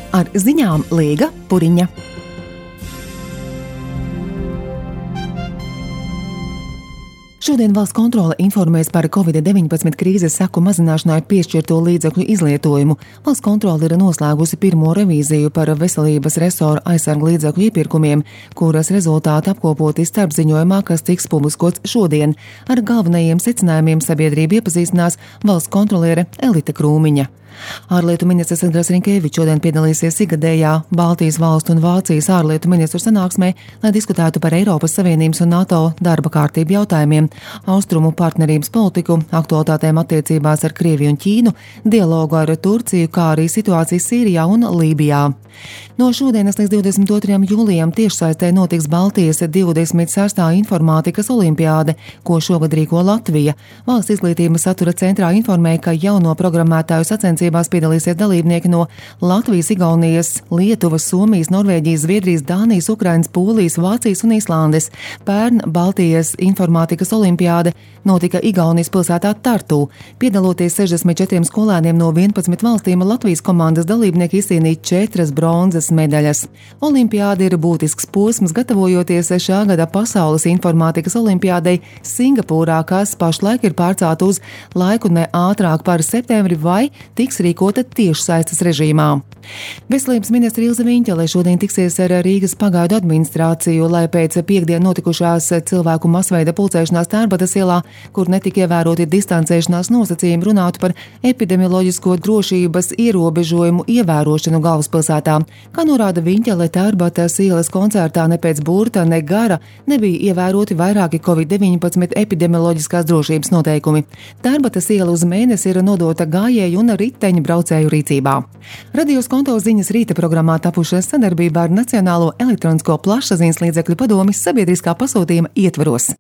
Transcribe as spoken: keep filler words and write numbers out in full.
Ar ziņām Līga Puriņa. Šodien valsts kontrole informēs par covid deviņpadsmit krīzes seku mazināšanai piešķirto līdzekļu izlietojumu. Valsts kontrole ir noslēgusi pirmo revīziju par veselības resora aizsargu līdzekļu iepirkumiem, kuras rezultāti apkopoti starpziņojumā, kas tiks publiskots šodien. Ar galvenajiem secinājumiem sabiedrība iepazīstinās valsts kontroliere Elita Krūmiņa. Ārlietu ministrs Edgars Rinkēvičs šodien piedalīsies ikgadējā Baltijas valstu un Vācijas ārlietu ministru sanāksmē, lai diskutētu par Eiropas Savienības un NATO darba kārtību jautājumiem, austrumu partnerības politiku, aktualitātēm attiecībās ar Krieviju un Ķīnu, dialogu ar Turciju, kā arī situāciju Sīrijā un Lībijā. No šodienas līdz divdesmit otrajam jūlijam tiešsaistē notiks Baltijas divdesmit sestā informātikas olimpiāde, ko šogad rīko Latvija. Valsts izglītības satura centrā informēja, ka jauno programmētāju sacensībās piedalīsies dalībnieki no Latvijas, Igaunijas, Lietuvas, Somijas, Norvēģijas, Zviedrijas, Dānijas, Ukrainas, Polijas, Vācijas un Islandes. Pērn Baltijas informātikas olimpiāde notika Igaunijas pilsētā Tartu. Piedaloties sešdesmit četriem skolēniem no vienpadsmit valstīm, Latvijas komandas dalībnieki izcīnīja četras bronzas medaļas. Olimpiāde ir būtisks posms, gatavojoties šā gada pasaules informātikas olimpiādei Singapūrā, kas pašlaik ir pārcelt uz laiku ne ātrāk par septembri vai tiks rīkota tiešsaistes režīmā. Veselības ministra Ilze Viņķele šodien tiksies ar Rīgas pagaidu administrāciju, lai pēc piekdien notikušās cilvēku masveida pulcēšanās Tērbatas ielā, kur netika ievēroti distancēšanās nosacījumi, runātu par epidemioloģisko drošības ierobežojumu ievērošanu galvaspilsētā. Kā norāda Viņķele, Tērbatas ielas koncertā ne pēc burta, ne gara nebija ievēroti vairāki covid deviņpadsmit epidemioloģiskās drošības noteikumi. Tērbatas iela uz mēnesi ir nodota gājēju un riteņu braucēju rīcībā. Radios konto ziņas rīta programmā tapušas sadarbībā ar Nacionālo elektronisko plašsaziņas līdzekļu padomi sabiedriskā pasūtījuma ietvaros.